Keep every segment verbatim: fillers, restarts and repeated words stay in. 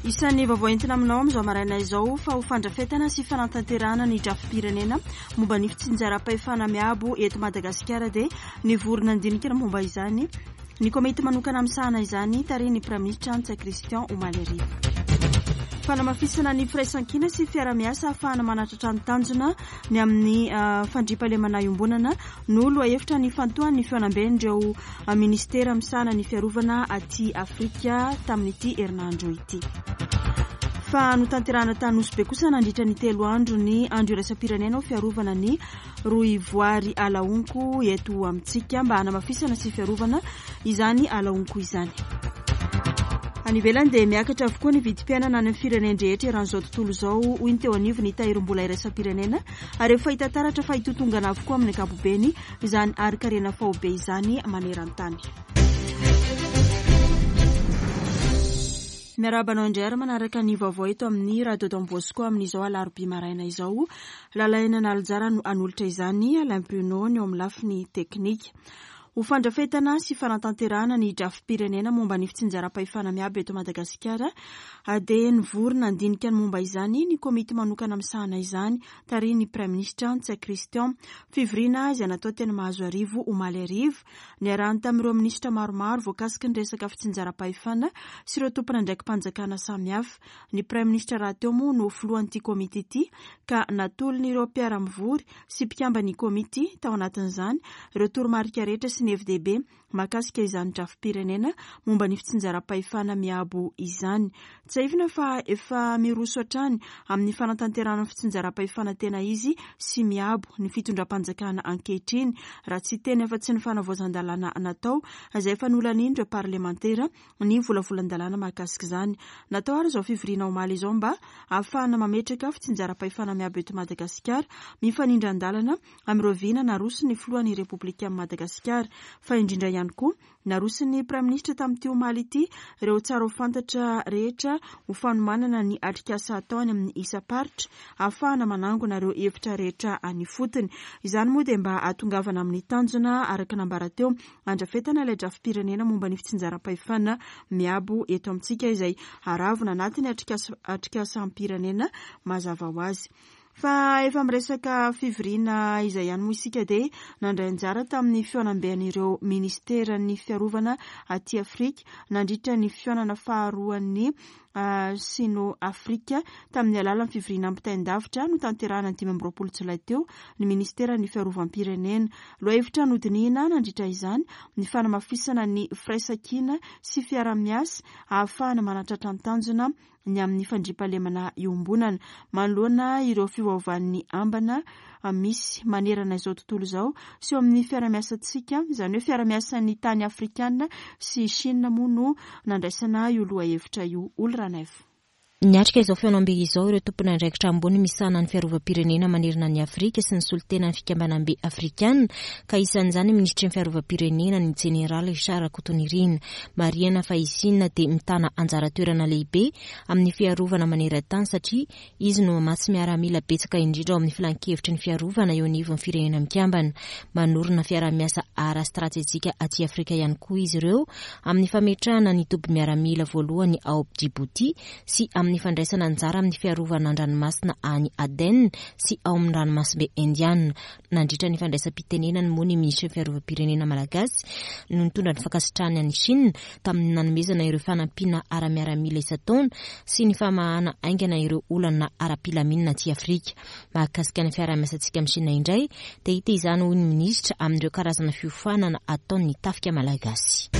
Isan'ny vaovao entina aminao amin'izao maraina izao fa ho fandrafetana sy fanatanterahana ny drafi-pirenena momba ny fitsinjaram-pahefana miabo eto Madagasikara dia nivory nandinika ny momba izany ny komity manokana misahana izany tarihin'ny Praiminisitra Ntsay Christian omaly hariva. Fanamafisana ny firaisankina sy fiarahamiasa ahafahana manatratra ny tanjona ny amin'ny fandriampahalemana iombonana no lohahevitra nifantohan'ny fihaonamben'ireo ministera misahana ny fiarovana aty Afrika tamin'ity herinandro ity. Fa notanterahana tany Nosy Be kosa nandritra ny telo andro ny andro iraisam-pirenena ho fiarovana ny rohivoary alahonko eto amintsika mba hanamafisana sy fiarovana izany alahonko izany. Any ivelany dia miakatra avokoa ny vidim-piainana any amin'ny firenen-drehetra eran'izao tontolo izao, hoy ny teo anivon'ny tahirim-bola iraisam-pirenena, ary efa hita taratra fa hitotongana avokoa amin'ny ankapobeny izany harin-karena faobe izany maneran-tany. Miarahaba anao indray ary manaraka ny vaovao eto amin'ny Radio Don Bosco amin'izao alarobia maraina izao. Lalaina Nalijara no hanolotra izany, Alain Bruno ny eo amin'ny lafiny teknika. Ho fandrafetana sy fanatanterahana ny drafi-pirenena momba ny fitsinjaram-pahefana miabo eto Madagasikara dia nivory nandinika ny momba izany ny komity manokana misahana izany tarihin'ny Praiminisitra Ntsay Christian. Fivoriana izay natao teny Mahazoarivo omaly hariva, niarahany tamin'ireo minisitra maromaro voakasiky ny resaka fitsinjaram-pahefana sy ireo tompon'andraiki-panjakana samihafa. Ny Praiminisitra rahateo moa no filohan'ity komity ity ka natolon'ireo mpiara-mivory sy mpikamban'ny komity tao anatin'izany ireo toromarika rehetra sy ny hevi-dehibe mahakasika izany drafi-pirenena momba ny fitsinjaram-pahefana miabo izany. Tsiahivina fa efa miroso hatrany amin'ny fanatanterahana ny fitsinjaram-pahefana tena izy sy miabo ny fitondram-panjakana ankehitriny, raha tsy teny afa-tsy ny fanavaozan-dalàna natao izay efa nolanian'ireo parlemantera ny volavolan-dalàna mahakasika izany. Natao ary izao fivoriana omaly izao mba ahafahana mametraka fitsinjaram-pahefana miabo eto Madagasikara mifanindran-dalana amin'ireo vina naroson'ny filohan'ny Repoblika Madagasikara, fa indrindra ihany koa naroson'ny Praiminisitra tamin'ity omaly ity ireo tsara ho fantatra rehetra ho fanomanana ny atrikasa atao any amin'ny isam-paritra ahafahana manangona ireo hevitra rehetra any ifotony. Izany moa dia mba hahatongavana amin'ny tanjona araka nambara teo andrafetana ilay drafi-pirenena momba ny fitsinjaram-pahefana miabo eto amintsika izay haravona anatin'ny atrikasa atrikasam-pirenena mazava ho azy. Fa efa miresaka fivoriana izay ihany moa isika dia nandray anjara tamin'ny fihaonamben'ireo ministeran'ny fiarovana aty Afrika nandritra ny fihaonana faharoan'ny Sino Afrika tamin'ny alalan'ny fivoriana ampitain-davitra notanterahana ny dimy amby roapolo jolay teo ny ministeran'ny fiarovam-pirenena. Lohahevitra nodinihina nandritra izany ny fanamafisana ny firaisankina sy fiarahamiasa ahafahana manatratra ny tanjona ny amin'ny fandriampahalemana iombonana manoloana ireo fiovaovan'ny ambana misy manerana izao tontolo izao sy eo amin'ny fiarahamiasantsika, izany hoe fiarahamiasan'ny tany afrikana sy Chine moa no nandraisana io lohahevitra io. Olo Ranaivo. Niatrika izao fihaonambe izao ireo tompon'andraikitra ambony misahana ny fiarovam-pirenena manerana ny Afrika sy ny solontenan'ny fikambanambe afrikana, ka isan'izany ny minisitry ny fiarovam-pirenena ny jeneraly Richard Rakotonirina. Marihana fa i Sina dia mitana anjara toerana lehibe amin'ny fiarovana maneran-tany satria izy no mamatsy miaramila betsaka indrindra ao amin'ny filankevitry ny fiarovana eo anivon'ny firenena mikambana. Manorina fiarahamiasa ara-stratejika aty Afrika ihany koa izy ireo amin'ny fametrahana ny toby miaramila voalohany ao Djibouti sy amin'ny fandraisana anjara amin'ny fiarovana an-dranomasina any Aden sy ao amin'ny ranomasimbe Indiana. Nandritra ny fandraisam-pitenenany moa ny minisitry ny fiarovam-pirenena malagasy no nitondra ny fankasitrahany an'i Chine tamin'ny nanomezana ireo fanampiana ara-miaramila isan-taona sy ny famahana haingana ireo olana ara-pilaminana aty Afrika. Mahakasika ny fiarahamiasantsika amin'ny Chine indray dia hita izany, hoy ny minisitra, amin'ireo karazana fiofanana ataon'ny tafika malagasy.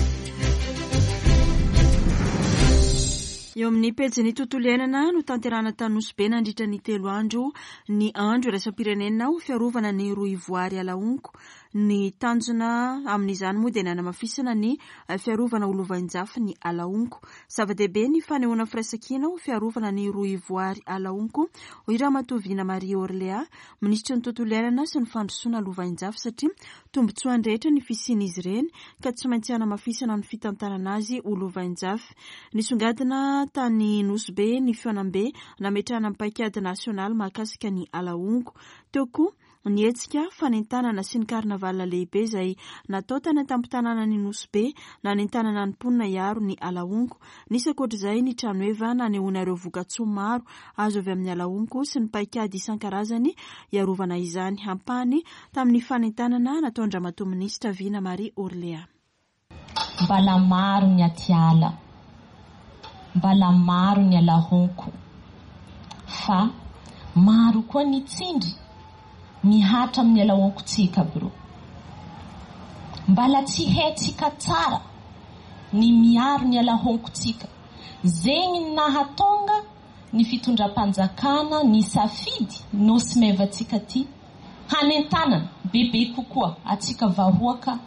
Eo amin'ny pejin'ny tontolo iainana notanterahana tany Nosy Be nandritra ny telo andro ny andro iraisam-pirenena ho fiarovana ny rohivoary alahonko. Ny tanjona amin'izany moa dia ny hanamafisana ny fiarovana ho lovainjafy ny alahonko. Zava-dehibe ny fanehoana firaisankina ho fiarovana ny rohivoary alahonko, hoy Ramatoa Vina Marie Orléa, minisitry ny tontolo iainana sy ny fandrosoana lovainjafy, satria tombontsoan'ny rehetra ny fisian'izy ireny ka tsy maintsy hanamafisana ny fitantanana azy ho lovainjafy. Nisongadina tany Nosy Be ny fihaonambe nametrahana ny paikady nasionaly mahakasika ny alahonko. Teo koa Ny hetsika fanentanana sy ny karnaval lehibe izay natao tany an-tampon-tanànan'i Nosy Be nanentanana ny mponina hiaro ny ala honko. Nisy ankoatr'izay ny tranoheva nanehoana ireo vokatsoa maro azo avy amin'ny ala honko sy ny paikady isan-karazany hiarovana izany. Ampahany tamin'ny fanentanana nataon-dRamatoa Minisitra Vina Marie Orléa. Mbala maro ny atiala, mbala maro ny ala honko, fa maro koa ny tsindry mihatra amin'ny ala honkotsika bro. Mbala tsy haitsika tsara ny miaro ny ala honkotsika. Zegny nahatonga ny fitondram-panjakana ny safidy nosy mevatsika ty hanentanana bebe kokoa atsika vahoaka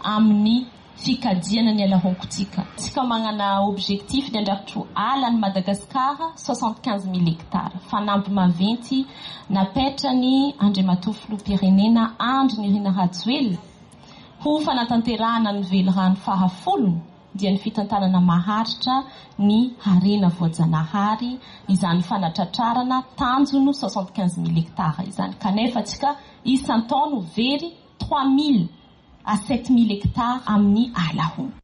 amin'ny fikajiana ny ala honkotsika. Tsika manana objectif ny andrakitro ala ny Madagasikara soixante-quinze mille hectares. Fanamby maventy napetrany Andriamatoa Filoham-pirenena Andry Nirina Rajoelina ho fanatanterahana ny velirano fahafolony dia ny fitantanana maharitra ny harena voajanahary izany fanatratrarana tanjono soixante-quinze mille hectares izany. Kanefa tsika isan-taona very trois mille à sept mille hectares amin'ny ala honko.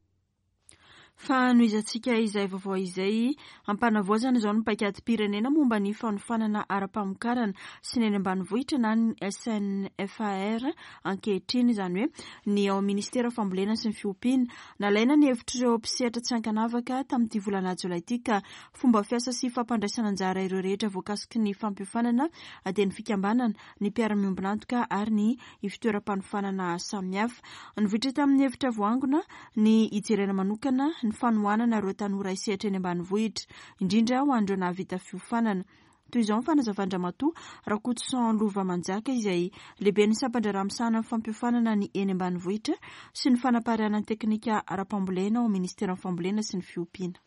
Fa nohizantsika izay vaovao izay ampanavaozana izao ny paikadim-pirenena momba ny fanofanana ara-pamokarana sy ny eny ambanivohitra na ny S N F A R ankehitriny, izany hoe ny ao ministera fambolena sy ny fiompiana. Nalaina ny hevitr'ireo mpisehatra tsy ankanavaka tamin'ity volana jolay ity ka fomba fiasa sy fampandraisana anjara ireo rehetra voakasiky ny fampiofanana dia ny fikambanana, ny mpiara-miombon'antoka ary ny fitoeram-panofanana samihafa. Nivoitra tamin'ny hevitra voangona ny hijerena manokana ny fanohanana ireo tanora hisehatra eny ambanivohitra, indrindra ho an'ireo nahavita fiofanana. Toy izao ny fanazavan-dRamatoa Rakotoson Lova Manjaka izay lehiben'ny sampan-draharaha misahana ny fampiofanana ny eny ambanivohitra sy ny fanapariahana ny teknika ara-pambolena ao ministeran'ny fambolena sy ny fiompiana.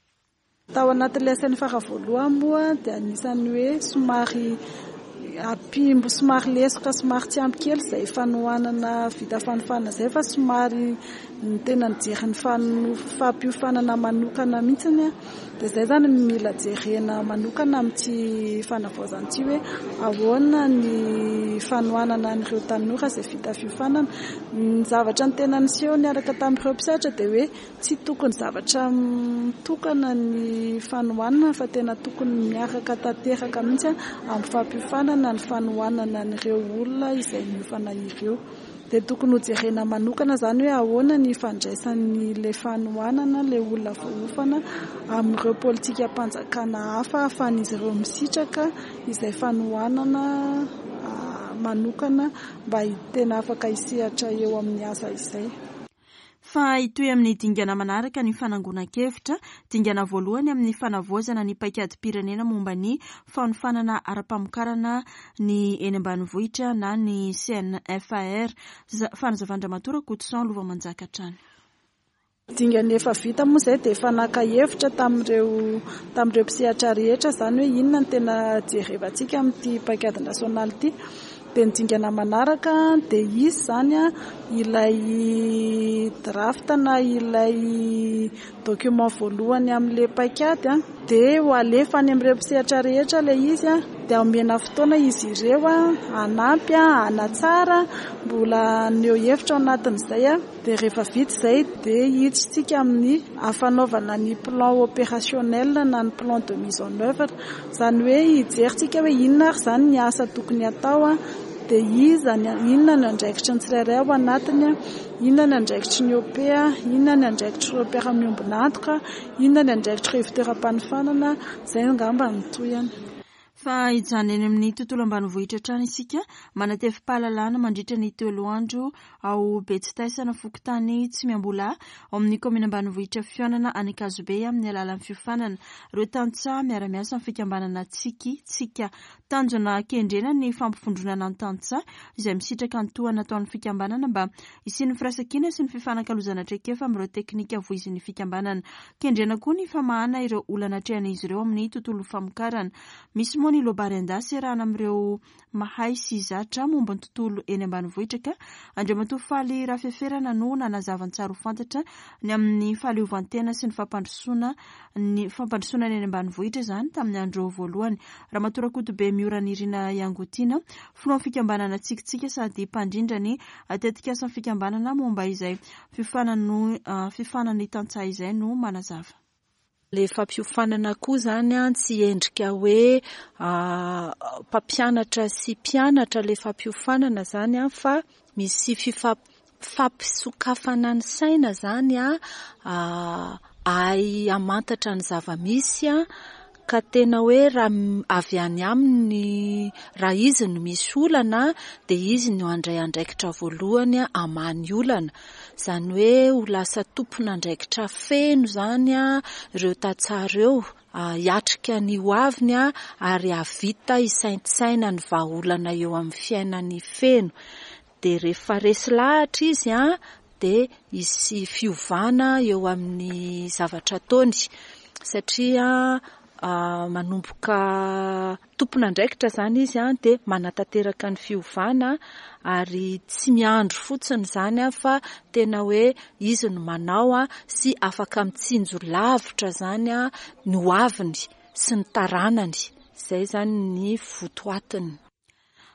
Tao anatin'ilay S N F A R voalohany moa dia anisan'ny hoe somary ampimbo, somary lesoka, somary tsy ampy kely izay fanohanana vita fanofanana izay, fa somary ny tena nijery ny fano-, fampiofanana manokana mihitsiny. Dia izay izany mila jerena manokana amin'ity fanavaozana ity hoe ahoana ny fanohanana an'ireo tanora izay vita fiofanana. Ny zavatra ny tena niseho niaraka tamin'ireo mpisehatra dia hoe tsy tokony zavatra mitokana ny fanohanana fa tena tokony miaraka tanteraka mihitsy amin'ny fampiofanana ny fanohanana an'ireo olona izay miofana ireo. Dia tokony hojerena manokana izany hoe ahoana ny fandraisan'ilay fanohanana ilay olona voaofana amin'ireo politikam-panjakana hafa ahafahan'izy ireo misitraka izay fanohanana manokana mba tena afaka hisehatra eo amin'ny asa izay. Fa hitohy amin'ny dingana manaraka ny fanangonan-kevitra, dingana voalohany amin'ny fanavaozana ny paikadim-pirenena momba ny fanofanana ara-pamokarana ny eny ambanivohitra na ny C N F A R. Fanazavan-dRamatoa Rakotoson Lova Manjaka hatrany. Dingana efa vita moa izay dia efa naka hevitra tamin'ireo, tamin'ireo mpisehatra rehetra izany hoe inona no tena jerevantsika amin'ity paikady nasionaly ity. Dia ny dingana manaraka dia izy izany ilay draft na ilay document voalohany amin'ilay paikady dia ho alefa any amin'ireo mpisehatra rehetra ilay izy dia omena fotoana izy ireo hanampy hanatsara mbola haneho hevitra ao anatin'izay. Dia rehefa vita izay dia hiditsika amin'ny fanaovana ny plan opérationnel na ny plan de mise en œuvre, izany hoe hijerintsika hoe inona ary izany ny asa tokony hatao dia iza ny, inona ny andraikitry ny tsirairay ao anatiny, inona ny andraikitry ny O P, inona ny andraikitr'ireo mpiara-miombon'antoka, inona ny andraikitr'ireo fitoeram-panofanana, izay angamba no tohiny. Fa hijanona eny amin'ny tontolo ambanivohitra hatrany isika, manatevy-pahalalana mandritra ny telo andro ao Betsitaisana fokontany Tsimiambola ao amin'ny kaominina ambanivohitra Fihaonana any Ankazobe amin'ny alalan'ny fiofanana ireo tantsaha miara-miasa amin'ny fikambanana Tsiky Tsika. Tanjona kendrena ny fampivondronana ny tantsaha izay misitraka ny tohana ataon'ny fikambanana mba hisian'ny firaisankina sy ny fifanakalozana traikefa amin'ireo teknika voizin'ny fikambanana. Kendrena koa ny famahana ireo olana atrehan'izy ireo amin'ny tontolo famokarana. Misy moa moa ny Loabary an-dasy iarahana amin'ireo mahay sy zatra momba ny tontolo eny ambanivohitra ka Andriamatoa Faly Rafeferana no nanazava ny tsara ho fantatra ny amin'ny fahaleovantena sy ny fampandrosoana ny fampandrosoana ny eny ambanivohitra izany tamin'ny andro voalohany. Ramatoa Rakotobe Mioranirina Iangotiana, filohan'ny fikambanana Tsikintsika sady mpandrindra ny tetikasan'ny fikambanana momba izay fiofanan'ny tantsaha izay no manazava. Le fampiofanana koa zany a tsy endrika hoe mpampianatra sy mpianatra le fampiofanana zany a fa misy fampisokafana ny saina zany a ahay hamantatra ny zava-misy a ka tena hoe raha avy any aminy, raha izy no misy olana dia izy no handray andraikitra voalohany hamaha ny olana. Izany hoe ho lasa tompon'andraikitra feno zany a ireo tantsaha ireo hiatrika ny hoaviny a ary hahavita hisaintsaina ny vahaolana eo amin'ny fiainany feno. Dia rehefa resy lahatra izy a dia hisy fiovana eo amin'ny zavatra ataony satria manomboka tompon'andraikitra zany izy a dia manatanteraka ny fiovana ary tsy miandry fotsiny zany a fa tena hoe izy no manao a sy afaka mitsinjo lavitra zany a ny hoaviny sy ny taranany. Izay zany ny votoatiny.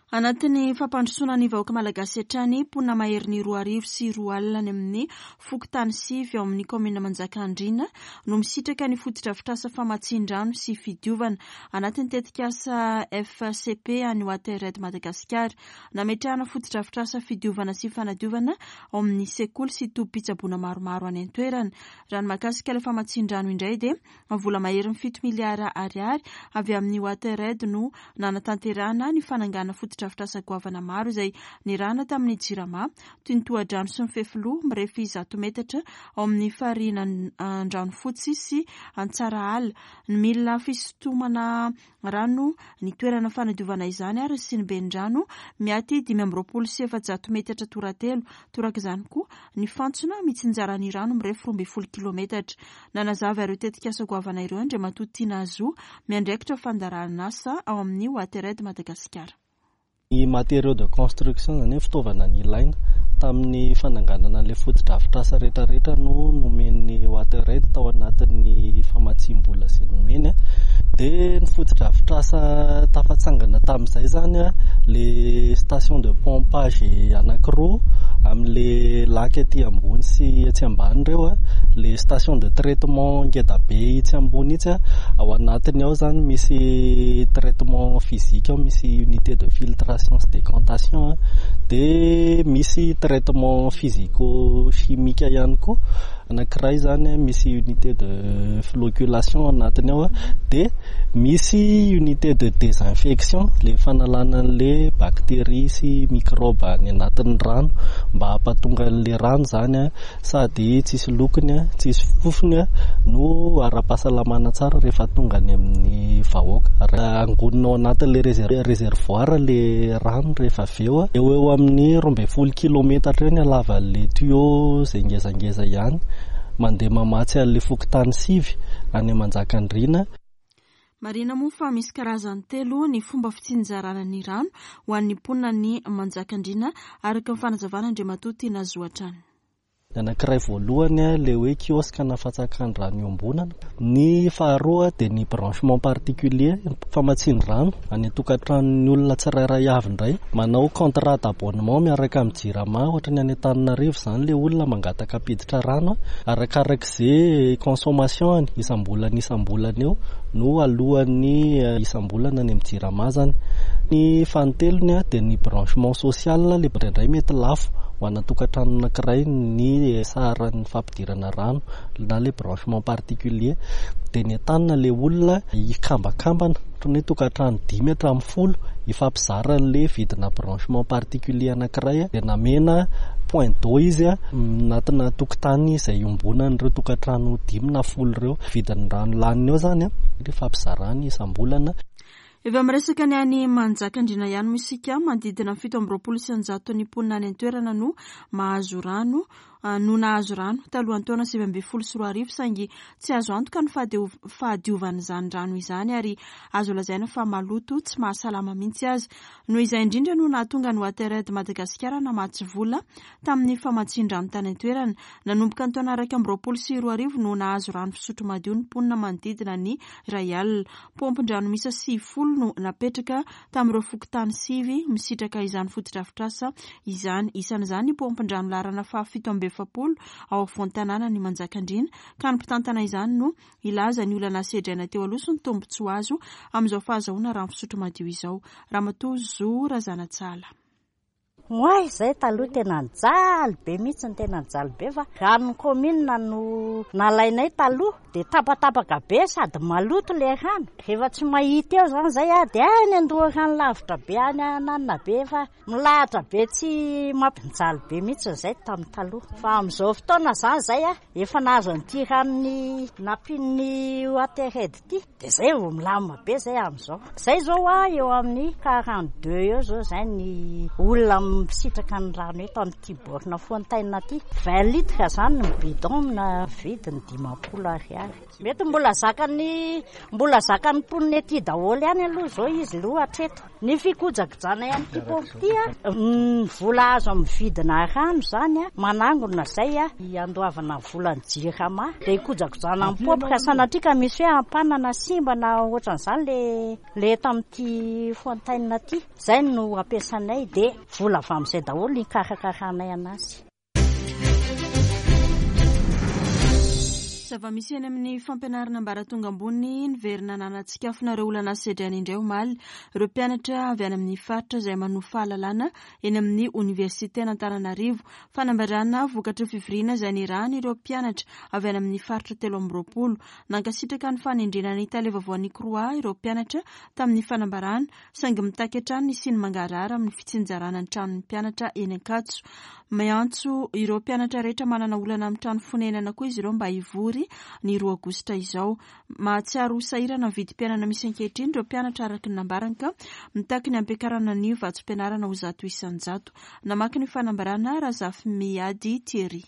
Anatin'ny fampandrosoana ny vahoaka malagasy hatrany, mponina maherin'ny roa arivo sy roa alina any amin'ny fokontany sivy ao amin'ny kaominina Manjakandriana no misitraka ny fotodrafitrasa famatsian-drano sy fidiovana anatin'ny tetikasa F C P any WaterAid Madagasikara. Nametrahana fotodrafitrasa fidiovana sy fanadiovana ao amin'ny sekoly sy tobim-pitsaboana maromaro any an-toerana. Raha ny mahakasika ilay famatsian-drano indray dia vola maherin'ny fito miliara ariary avy amin'ny WaterAid no nanatanterahana ny fanangana fotodrafitrasa goavana maro izay nirahana tamin'ny Jirama toy ny tohadrano sy ny fefiloha mirefy zato metatra ao amin'ny farina Andranofotsy sy Antsarahala, ny milina fisintomana rano, ny toerana fanadiovana izany ary sy ny bendrano miaty dimy amby roapolo sy efajato metatra toratelo. Toraka izany koa ny fantsona mitsinjara ny rano mirefy roa ambin'ny folo kilometatra. Nanazava ireo tetikasa goavana ireo Andriamatoa Tiana Zo, miandraikitra fandaharanasa ao amin'ny WaterAid Madagasikara. Ny matériaux de construction zany hoe fitaovana nilaina tamin'ny fananganana ilay fotodrafitrasa rehetrarehetra no nomen'ny WaterAid tao anatin'ny famatsiam-bola izay nomeny. Dia ny fotodrafitrasa tafatsangana tamin'izay zany a le station de pompage anankiroa amin'le lac aty ambony sy etsy ambany ireo a, le station de traitement ngeda be itsy ambony itsy a, ao anatiny ao zany misy traitement physique ao, misy unité de filtration sy décantation a, dia misy traitement physico-chimique ihany koa. Anankiray zany misy unité de floculation anatiny ao a, dia misy unité de désinfection le fanalana an'le bactéries sy microbe any anatin'ny rano mba hampatonga an'le rano zany a sady tsisy lokony a, tsisy fofony a, no ara-pahasalamana tsara rehefa tonga any amin'ny vahoaka. Raha angonina ao anatin'le réservoir le rano rehefa avy eo a, eo eo amin'ny roa ambin'ny folo kilometatra eo ny halavan'le tuyau izay ngezangeza ihany mandeha mamatsy an'le fokontany sivy any Manjakandriana. Marihina moa fa misy karazany telo ny fomba fitsinjarana ny rano ho an'ny mponina ny Manjakandriana araka ny fanazavana Andriamatoa Tiana Zo hatrany. Ny anankiray voalohany a, le hoe kiosque na fatsakan-drano iombonana. Ny faharoa dia ny branchement particulier, famatsian-drano any an-tokantranon'ny olona tsirairay avy indray. Manao contrat d'abonnement miaraka amin'ny Jirama, ohatra ny any Antananarivo izany le olona mangataka hampiditra rano arakarak'izay consommation-ny isam-bolana isam-bolana eo no alohan'ny isam-bolana any amin'ny Jirama zany. Ny fanintelony a dia ny branchement social, le indraindray mety lafo ho ana tokantrano anankiray ny saran'ny fampidirana rano na le branchement particulier. Dia ny entanina le olona hikambakambana, ohatra ny hoe tokantrano dimy hatramin'ny folo hifampizara an'le vidina branchement particulier anankiray, dia namena point d'eau izy a anatina tokotany izay iombonan'ireo tokantrano dimy na folo ireo. Vidin'ny rano laniny eo zany a hifampizarany isam-bolana. Efa miresaka ny any Manjakandriana ihany moa isika, manodidina ny fito amby roapolo isan-jato ny mponina any an-toerana no mahazo rano no nahazo rano talohan'ny taona sivy ambin'ny folo sy roa arivo, saingy tsy azo antoka ny fahadiovan'izany rano izany ary azo lazaina fa maloto tsy mahasalama mihitsy aza. Noho izay indrindra no nahatonga ny WaterAid Madagasikara namatsy vola tamin'ny famatsian-drano tany an-toerana. Nanomboka ny taona iraika amby roapolo sy roa arivo no nahazo rano fisotro madio ny mponina manodidina ny iray alina. Paompin-drano miisa sivifolo no napetraka tamin'ireo fokontany sivy misitraka izany fotodrafitrasa izany. Isan'izany ny paompin-drano laharana fahafito amby efapolo ao afovoan-tanàna ny Manjakandriana, ka ny mpitantana izany no hilaza ny olana sedraina teo aloha sy ny tombontsoa azo amin'izao fahazahoana rano fisotro madio izao. Ramatoa Zo Razanatsala. Oay, izay taloha tena nijaly be mihitsy, ny tena nijaly be fa ranon'ny commune no nalainay taloha dia tapatapaka be sady maloto ilay rano. Rehefa tsy mahita eo izany izay dia any an-doharano lavitra be any ananona be fa milahatra be tsy mampijaly be mihitsy izay tamin'ny taloha. Fa amin'izao fotoana izany izay efa nahazo an'ity ranony nampian'ny WaterAid ity dia izay vao milamina be izay amin'izao. Izay izao a eo amin'ny quarante-deux eo izao izay ny olona misitraka ny rano eto amin'ity borne fontaine ity. vingt litres izany ny bidon na vidiny dimampolo ariary. Mety mbola zakany mbola zakany mponina ety daholo ihany aloha izao izy aloha hatreto. Ny fikojakojana ihany ity paompy ity a, ny vola azo amin'ny vidina rano izany a, manangona izay a, hiandoavana volan'ny Jirama. Dia hikojakojana amin'ny paompy ka sanatria ka misy hoe ampanana simba na ohatran'izany le le eto amin'ity fontaine ity. Izay no ampiasanay dia vola avy amin'izay daholo ny karakarahanay anazy. Zava-misy eny amin'ny fampianarana ambaratonga ambony niverina nanatsikafona ireo olana sedraina indray omaly. Ireo mpianatra avy any amin'ny faritra izay manovo fahalalana eny amin'ny oniversiten'Antananarivo. Fanambarana vokatry ny fivoriana izay nirahana ireo mpianatra avy any amin'ny faritra telo amby roapolo. Nankasitraka ny fanendrena ny tale vaovaon'ny C R O A ireo mpianatra tamin'ny fanambarana, saingy mitaky hatrany ny siny mangarahara amin'ny fitsinjarana ny tranon'ny mpianatra eny Ankatso. Miantso ireo mpianatra rehetra manana olana amin'ny trano fonenana koa izy ireo mba hivory ny roa aogositra izao. Mahatsiaro ho sahirana ny vidim-piainana misy ankehitriny ireo mpianatra araka ny nambarany ka mitaky ny hampiakarana ny vatsim-pianarana ho zato isan-jato. Namaky ny fanambarana Razafimiady Thierry.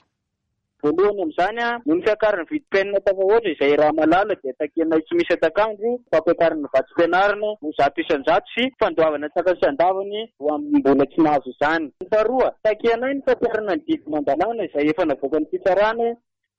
Voalohany amin'izany a, noho ny fiakaran'ny vidim-piainana tafahoatra izay raha malala dia takianay tsy misy atakandro fampiakarana ny vatsim-pianarana ho zato isan-jato sy fandoavana antsakany sy andavany ho amin'ny mbola tsy nahazo izany. Ny faharoa, takianay ny fampiharana ny didy aman-dalàna izay efa navoakan'ny fitsarana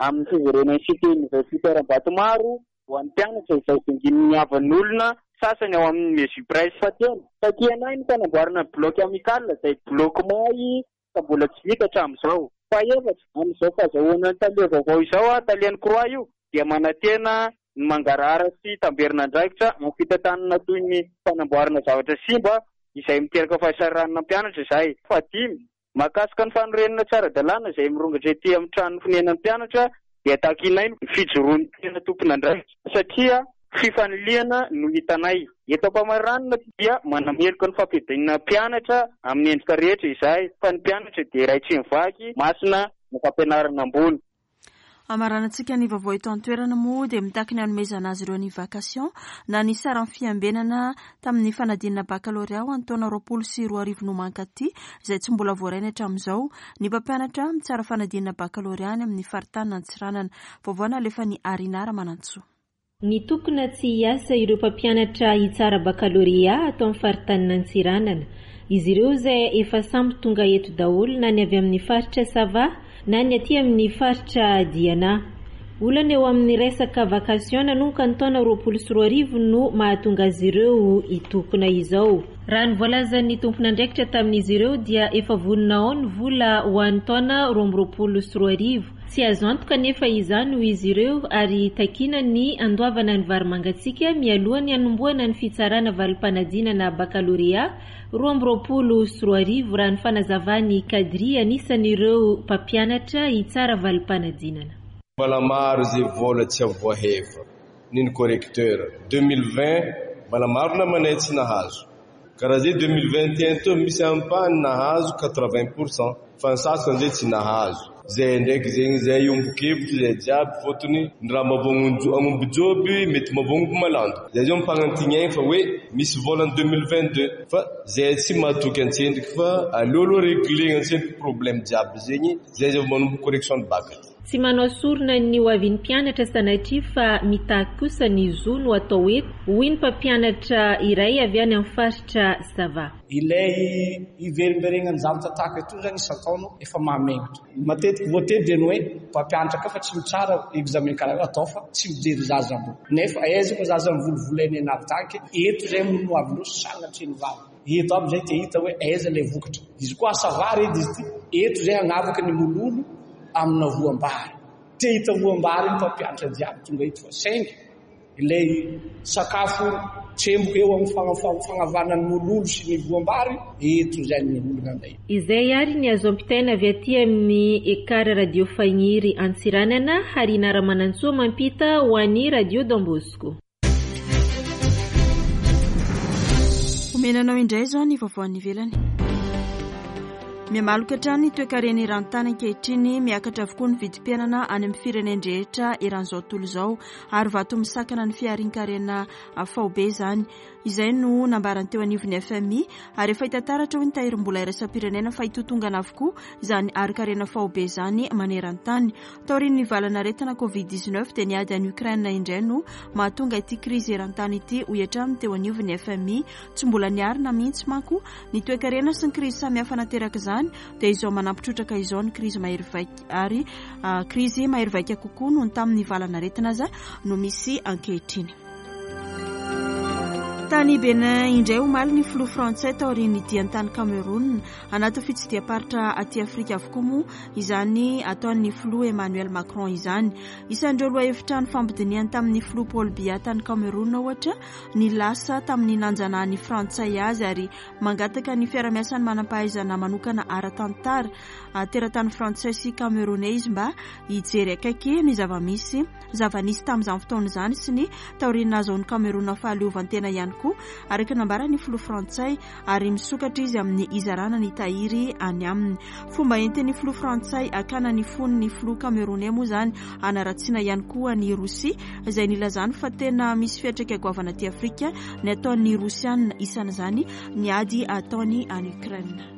amin'ny fiverenan'ny cité universitaire Ambatomaro ho an'ny mpianatra izay dinginin'ny havan'olona sasany ao amin'ny Mesupres. Fahatelo, takianay ny fanamboarana ny bloc amical izay bloc may ka mbola tsy vita hatramin'izao. Fahaefatra, amin'izao fahazahoana ny tale vaovao izao, talen'ny C R O A io dia manantena ny mangarahara sy tamberina andraikitra amin'ny fitantanana toy ny fanamboarana zavatra simba izay miteraka fahasahiranana mpianatra izay. Fahadimy, mahakasika ny fanorenana tsy ara-dalàna izay mirongatra ety amin'ny trano fonenan'ny mpianatra dia takianay ny fijoroan'ny tena tompon'andraikitra satria fifanilihana no hitanay. Eto am-pamaranana dia manameloka ny fampidinana mpianatra amin'ny endrika rehetra izahay, fa ny mpianatra dia iray tsy mivaky masina ny fampianarana ambony. Amaranantsika ny vaovao eto an-toerana moa dia mitaky ny hanomezana azy ireo ny vacation na ny saran'ny fiambenana tamin'ny fanadinana bakalorea ho an'ny taona roapolo sy roa arivo no mankaty izay tsy mbola voarainy hatramin'izao. Ny mpampianatra mitsara fanadinana bakalorea any amin'ny faritany Antsiranana. Vaovao nalefan'i Arina Ramanantsoa. Nitokona tsy hiasa ireo mpampianatra hitsara bakalorea atao amin'ny faritanin' Antsiranana. Izy ireo izay efa samy tonga eto daholo na ny avy amin'ny faritra Sava na ny aty amin'ny faritra Diana. Olana eo amin'ny resaka vacation nanomboka ny taona roapolo sy roa arivo no mahatonga azy ireo hitokona izao. Raha ny voalazan'ny tompon'andraikitra tamin'izy ireo dia efa vonona ao ny vola ho an'ny taona roa amby roapolo sy roa arivo. Tsy azo antoka nefa izany ho izy ireo ary takiana ny andoavana ny vary mangatsiaka mialohan'ny hanombohana ny fitsarana valim-panadinana bakalorea roa amby roapolo sy roa arivo raha ny fanazavany Kadri anisan'ireo mpampianatra hitsara valim-panadinana. Mbola maro izay vola tsy avoahefa niny correcteur deux mille vingt, mbola maro namanay tsy nahazo. Karaha zay deux mille vingt et un teo misy ampahany nahazo quatre-vingts pour cent fa ny sasany zay tsy nahazo. Zay ndraiky zegny zay iombon-kevitry zay jiaby, fôtony ny raha mavogno agnomby joby mety mavogno malando. Zay zao mimpagnantignainy fa hoe misy vola en deux mille vingt deux, fa zay tsy mahatoky antsendriky fa aleo aloha réglena antsendriky problème jiaby zegny, zay zay vao manomboka correction ny bac. Tsy manao sorona ny ho avin'ny mpianatra sanatria fa mitaky kosa ny zo no atao eto, hoy ny mpampianatra iray avy any amin'ny faritra Sava. Ilay iverimberenany zavatra tahaka ito zany isan-taona efa mahamengatra. Matetiky voatery dia ny hoe mpampianatra ka fa tsy mitsara examen karaha atao fa tsy mijery zaza ambony. Nefa aiza moa zaza mivolovolaina anary taky, eto zay no avy loha sanatria ny vava. Eto aby zay te hita hoe aiza ilay vokatra. Izy koa asa vary edy izy ity, eto zay hagnavaka ny mololo amina voam-bary. Te hita voam-bary ny mpampianatra jiaby tonga eto fa saingy ilay sakafo tsemboka eo amin'ny fagnavanany mololo sy ny voam-bary, eto zay ny olona anday. Izay ary ny azo ampitaina avy aty amin'ny Ekar Radio Fagniry Antsiranana, Harina Ramanantsoa mampita ho an'ny Radio Don Bosco. Omenanao indray izao ny vaovao any ivelany. Mihamaloka hatrany ny toekarena eran-tany ankehitriny, miakatra avokoa ny vidim-piainana any amin'ny firenen-drehetra eran'izao tontolo izao, ary vato misakana ny fiharin-karena faobe izany. Izay no nambarany teo anivon'ny F M I, ary efa hita taratra hoy ny tahirim-bola iraisam-pirenena fa hitotongana avokoa izany harin-karena faobe izany maneran-tany. Taorian'ny valanaretina Covid dix-neuf dia niady any Ukraine indray no mahatonga ity krizy eran-tany ity, hoy hatrany teo anivon'ny F M I. Tsy mbola niarina mihitsy manko ny toekarena sy ny krizy samihafa nateraka izany, dia izao manampitrotraka izao ny krizy mahery vaika, ary krizy mahery vaika kokoa noho ny tamin'ny valanaretina aza no misy ankehitriny. Tany Benin indray omaly ny filoha frantsay taorian'ny diany tany Cameroun. Anaty fitsidiham-paritra aty Afrika avokoa moa izany ataon'ny filoha Emmanuel Macron izany. Isan'ireo lohahevitra nifampidinihany tamin'ny filoha Paul Biya tany Cameroun ohatra ny lasa tamin'ny nanjanahany frantsay azy, ary mangataka ny fiarahamiasan'ny manam-pahaizana manokana ara-tantara teratany frantsay sy camerounais izy mba hijery akaiky ny zava-misy zava-nisy tamin'izany fotoana izany sy ny taorian'ny nahazoan'ny Cameroun fahaleovantena ihany koa, araka ny nambaran'ny filoha frantsay, ary misokatra izy amin'ny izarana ny tahiry any aminy. Fomba entin'ny filoha frantsay akana ny fon'ny filoha camerounais moa izany anaratsiana ihany koa ny Rosia, izay nilazany fa tena misy fiantraika goavana aty Afrika ny ataon'ny Rosiana, isan'izany ny ady ataony any Ukraine.